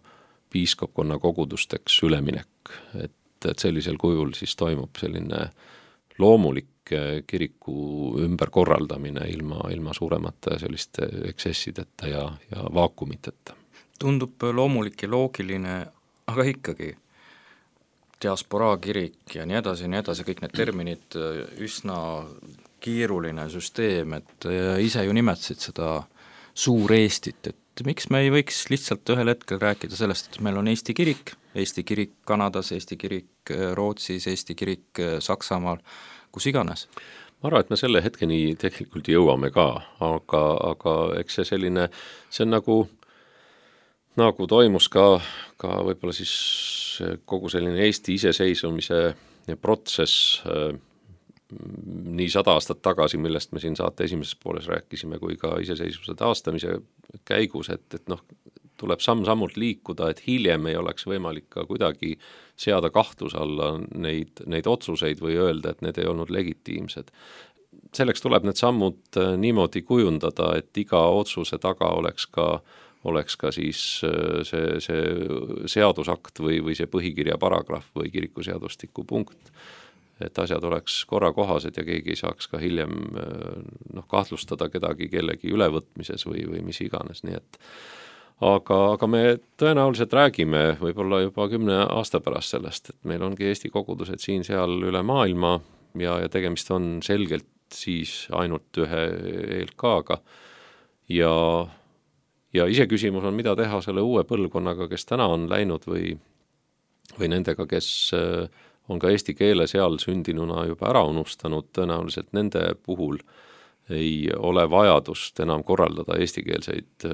[SPEAKER 4] piiskopkonna kogudusteks üleminek, et, et sellisel kujul siis toimub selline loomulik kiriku ümberkorraldamine ilma, ilma suuremate selliste eksessideta ja, ja vaakumiteta.
[SPEAKER 2] Tundub loomulik ja loogiline, aga ikkagi diasporaa kirik ja nii edasi ja nii edasi, kõik need terminid üsna keeruline süsteem, et ise ju nimetasid seda suur Eestit, et miks me ei võiks lihtsalt ühel hetkel rääkida sellest, et meil on Eesti kirik, Eesti kirik Kanadas, Eesti kirik Rootsis, Eesti kirik Saksamaal, kus iganes?
[SPEAKER 4] ma arvan, et me selle hetkeni tegelikult jõuame ka, aga, aga eks see selline, see on nagu, nagu toimus ka, ka võib-olla siis kogu selline Eesti iseseisvumise protsess nii sada aastat tagasi, millest me siin saate esimeses pooles rääkisime, kui ka iseseisvuse taastamise käigus, et, et noh, tuleb samm-sammult liikuda, et hiljem ei oleks võimalik ka kuidagi seada kahtluse alla neid, neid otsuseid või öelda, et need ei olnud legitiimsed. Selleks tuleb need sammud niimoodi kujundada, et iga otsuse taga oleks ka, oleks ka siis see, see seadusakt või, või see põhikirja paragrahv või kirikuseadustiku punkt, et asjad oleks korrakohased ja keegi ei saaks ka hiljem noh, kahtlustada kedagi kellegi ülevõtmises või, või mis iganes, nii et aga, aga me tõenäoliselt räägime võib-olla juba kümne aasta pärast sellest, et meil ongi Eesti kogudused siin-seal üle maailma ja, ja tegemist on selgelt siis ainult ühe E L K-ga ja, ja iseküsimus on, mida teha selle uue põlvkonnaga, kes täna on läinud või, või nendega, kes on ka eesti keele seal sündinuna juba ära unustanud, tõenäoliselt nende puhul ei ole vajadust enam korraldada eestikeelseid,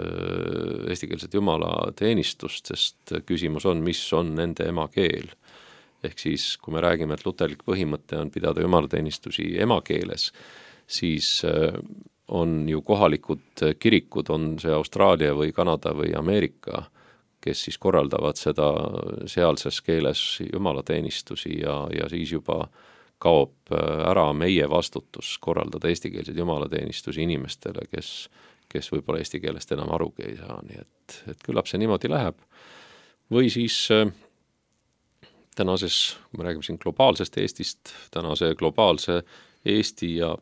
[SPEAKER 4] eestikeelset jumalateenistust, sest küsimus on, mis on nende emakeel. Ehk siis, kui me räägime, et luterlik põhimõte on pidada jumalateenistusi emakeeles, siis on ju kohalikud kirikud, on see Austraalia või Kanada või Ameerika, kes siis korraldavad seda sealses keeles jumalateenistusi ja, ja siis juba kaob ära meie vastutus korraldada eestikeelseid jumalateenistusi inimestele, kes, kes võib-olla eesti keelest enam arugi ei saa, nii et, et küllap see niimoodi läheb. Või siis tänases, kui me räägime siin globaalsest Eestist, tänase globaalse Eesti ja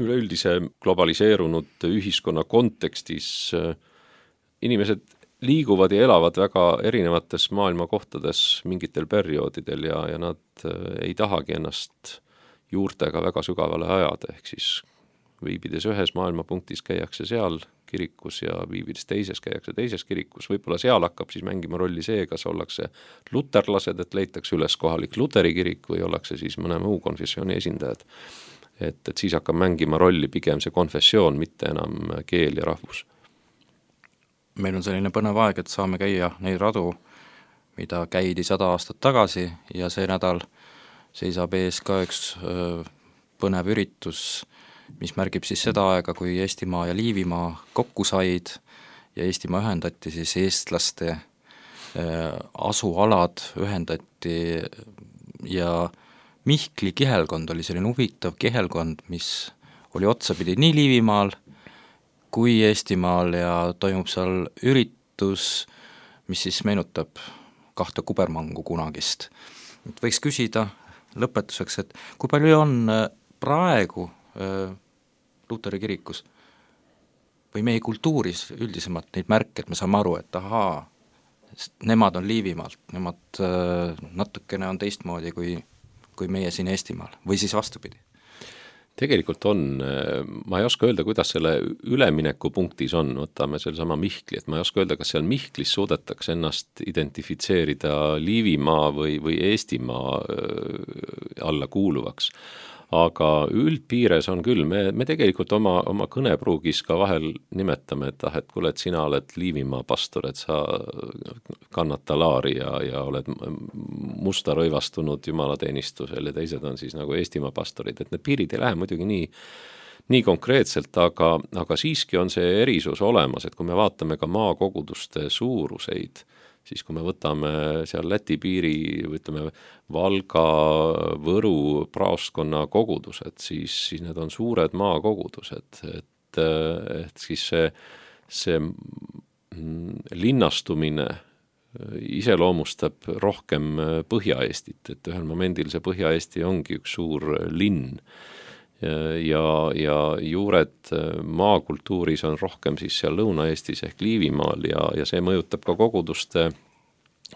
[SPEAKER 4] üleüldise globaliseerunud ühiskonna kontekstis inimesed liiguvad ja elavad väga erinevates maailma kohtades mingitel perioodidel ja, ja nad ei tahagi ennast juurtega väga sügavale ajada, ehk siis viibides ühes maailmapunktis käiakse seal kirikus ja viibides teises käiakse teises kirikus, võib-olla seal hakkab siis mängima rolli see, kas ollakse luterlased, et leitakse üles kohalik luteri kirik või ollakse siis mõne muu konfessiooni esindajad. Et, et siis hakkab mängima rolli pigem see konfessioon, mitte enam keel ja rahvus.
[SPEAKER 2] Meil on selline põnev aeg, et saame käia neid radu, mida käidi sada aastat tagasi ja see nädal seisab ees ka üks öö, põnev üritus, mis märgib siis seda aega, kui Eestimaa ja Liivimaa kokku said ja Eestimaa ühendati siis eestlaste öö, asualad ühendati ja Mihkli kihelkond oli selline huvitav kihelkond, mis oli otsapidi nii Liivimaal kui Eestimaal ja toimub seal üritus, mis siis meenutab kahte kubermangu kunagist. Et võiks küsida lõpetuseks, et kui palju on praegu äh, Luteri kirikus või meie kultuuris üldisemalt neid märke, et me saame aru, et ahaa, nemad on Liivimaalt, nemad äh, natukene on teistmoodi kui, kui meie siin Eestimaal või siis vastupidi.
[SPEAKER 4] Tegelikult on, ma ei oska öelda, kuidas selle üleminekupunktis on, võtame selle sama Mihkli, et ma ei oska öelda, kas seal Mihklis suudetakse ennast identifitseerida Liivimaa või, või Eestimaa alla kuuluvaks. Aga üldpiires on küll, me, me tegelikult oma, oma kõnepruugis ka vahel nimetame, et ah, et kuule, et sina oled Liivimaa pastor, et sa kannad talaari ja, ja oled musta rõivastunud jumalateenistusel ja teised on siis nagu Eestimaa pastorid, et need piirid ei lähe muidugi nii, nii konkreetselt, aga, aga siiski on see erisus olemas, et kui me vaatame ka maakoguduste suuruseid, siis kui me võtame seal Läti piiri, ütleme Valga, Võru praostkonna kogudused, siis, siis need on suured maakogudused, et, et siis see, see linnastumine iseloomustab rohkem Põhja-Eestit, et ühel momendil see Põhja-Eesti ongi üks suur linn ja, ja juured maakultuuris on rohkem siis seal Lõuna-Eestis ehk Liivimaal ja, ja see mõjutab ka koguduste,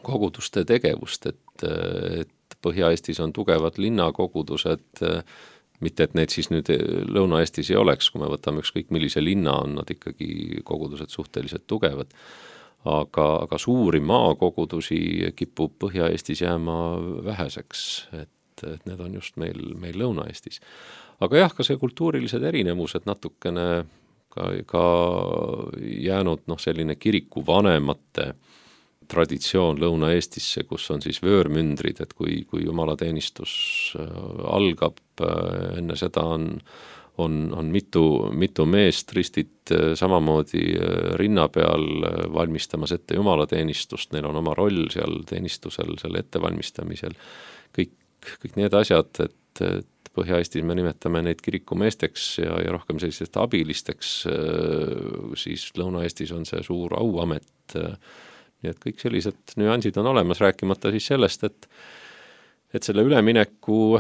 [SPEAKER 4] koguduste tegevust, et, et Põhja-Eestis on tugevad linnakogudused, mitte, et need siis nüüd Lõuna-Eestis ei oleks, kui me võtame ükskõik millise linna, on nad ikkagi kogudused suhteliselt tugevad. Aga, aga suuri maakogudusi kipub Põhja-Eestis jääma väheseks, et, et need on just meil, meil Lõuna-Eestis. Aga jah, ka see kultuurilised erinevused natukene ka, ka jäänud noh, selline kiriku vanemate traditsioon Lõuna-Eestisse, kus on siis vöörmündrid, et kui, kui jumalateenistus algab, enne seda on, on, on mitu, mitu meest ristid samamoodi rinna peal valmistamas ette jumalateenistust, neil on oma roll seal teenistusel, selle ettevalmistamisel. Kõik, kõik need asjad, et, et Põhja-Eestis me nimetame neid kirikumeesteks ja, ja rohkem sellistest abilisteks, siis Lõuna-Eestis on see suur auamet. Nii et kõik sellised nüansid on olemas, rääkimata siis sellest, et, et selle ülemineku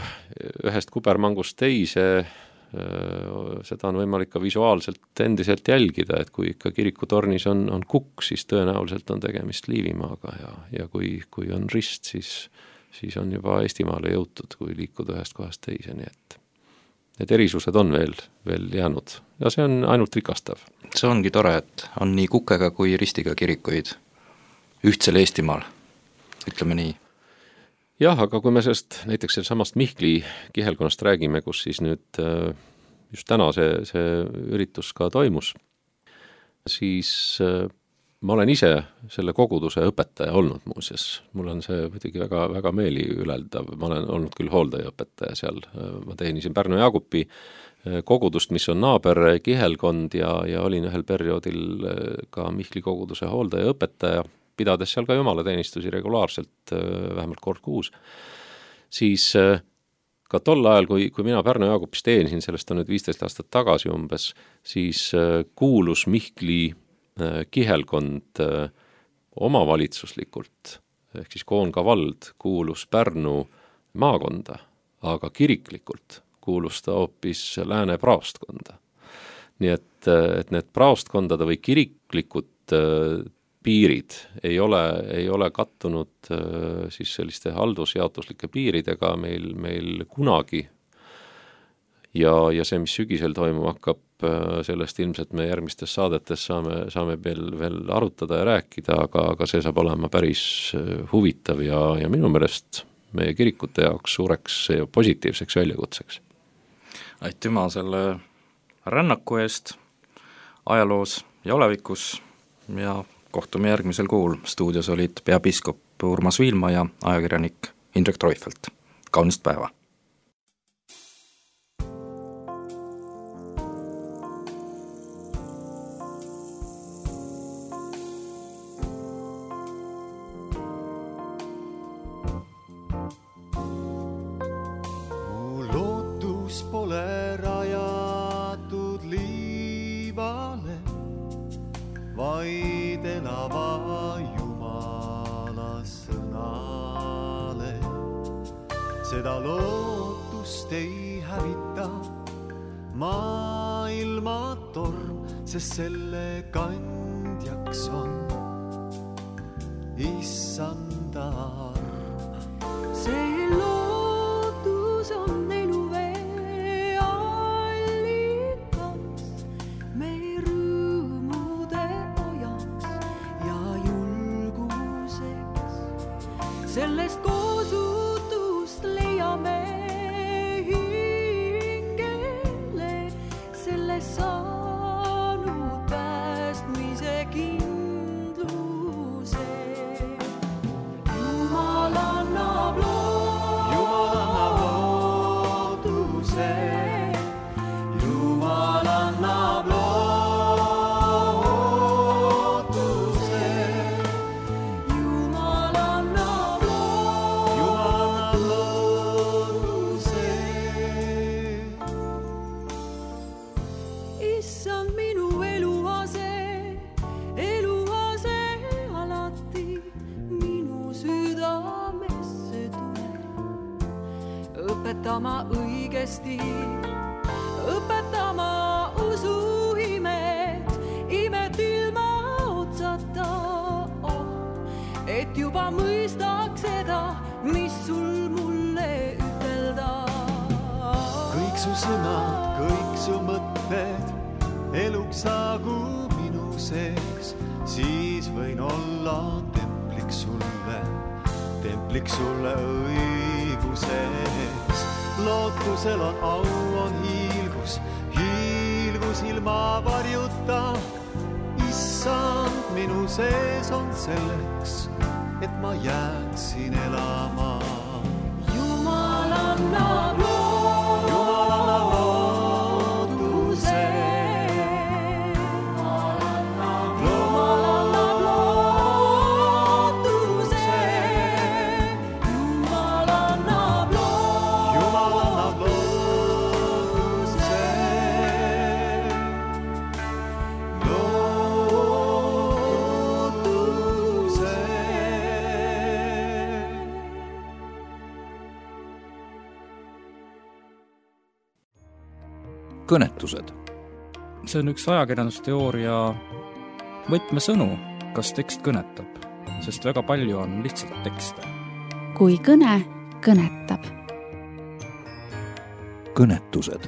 [SPEAKER 4] ühest kubermangust teise, seda on võimalik ka visuaalselt endiselt jälgida, et kui ikka kirikutornis on, on kukk, siis tõenäoliselt on tegemist Liivimaaga ja, ja kui, kui on rist, siis, siis on juba Eestimaale jõutud, kui liikuda ühest kohast teise, nii et need erisused on veel, veel jäänud ja see on ainult rikastav.
[SPEAKER 2] See ongi tore, et on nii kukega kui ristiga kirikuid ühtsel Eestimaal, ütleme nii.
[SPEAKER 4] Jah, aga kui me sellest näiteks samast Mihkli kihelkonnast räägime, kus siis nüüd just täna see, see üritus ka toimus, siis ma olen ise selle koguduse õpetaja olnud muuseas. Mul on see muidugi väga, väga meeli üleldav. Ma olen olnud küll hooldajaõpetaja seal. Ma teenisin Pärnu Jaagupi kogudust, mis on naaber kihelkond ja, ja olin ühel perioodil ka Mihkli koguduse hooldajaõpetaja, pidades seal ka jumalateenistusi regulaarselt vähemalt kord kuus, siis ka tol ajal, kui, kui mina Pärnu Jaagupis teenisin, sellest on nüüd viisteist aastat tagasi umbes, siis kuulus Mihkli kihelkond omavalitsuslikult, ehk siis Koonga vald kuulus Pärnu maakonda, aga kiriklikult kuulus ta hoopis Lääne praostkonda. Nii et, et need praostkondade või kiriklikud piirid ei ole, ei ole kattunud siis selliste haldusjaotuslike piiridega meil, meil kunagi. Ja, ja see, mis sügisel toimub, hakkab sellest ilmselt me järgmistes saadetes saame, saame veel, veel arutada ja rääkida, aga, aga see saab olema päris huvitav ja, ja minu meelest meie kirikute jaoks suureks ja positiivseks väljakutseks.
[SPEAKER 2] Aitüma selle rännaku eest ajaloos ja olevikus ja kohtume järgmisel kuul. Stuudios olid peapiiskop Urmas Viilma ja ajakirjanik Indrek Treufelt. Kaunist päeva!
[SPEAKER 1] Mu lootus pole rajatud liivale, vaid elava Jumala sõnale. Seda lootust ei hävita maailma torm, sest selle kandjaks on Issanda arm.
[SPEAKER 5] See lootus on eluvee allikas, meie rõõmude ajaks ja julguseks. Sellest koosutust leiame hingele, sellest saanud päästmise kindluse. Jumal annab lootuse, Jumal annab lootuse, Jumal annab lootuse. Issand minu eluase, eluase alati minu südamesse tule. Õpetama õigesti, õpetama usuimet, imet ilma otsata, oh, et juba mõistaks seda, mis sul mulle ütelda.
[SPEAKER 1] Kõik su sõnad, kõik su mõtted eluks saagu minu sees, siis võin olla templiks sulle, templiks sulle õiguses. Lootusel on au, on hiilgus, hiilgus ilma varjuta. Issand, minu sees on selleks, et ma jääksin elama.
[SPEAKER 5] Jumal annab lootuse.
[SPEAKER 1] Jumal annab lootuse.
[SPEAKER 5] Jumal annab lootuse. Jumal annab lootuse.
[SPEAKER 1] Jumal annab lootuse. Lootuse.
[SPEAKER 2] kõnetused. See on üks ajakirjandusteooria võtmesõnu, kas tekst kõnetab, sest väga palju on lihtsalt tekste.
[SPEAKER 3] kui kõne kõnetab.
[SPEAKER 2] kõnetused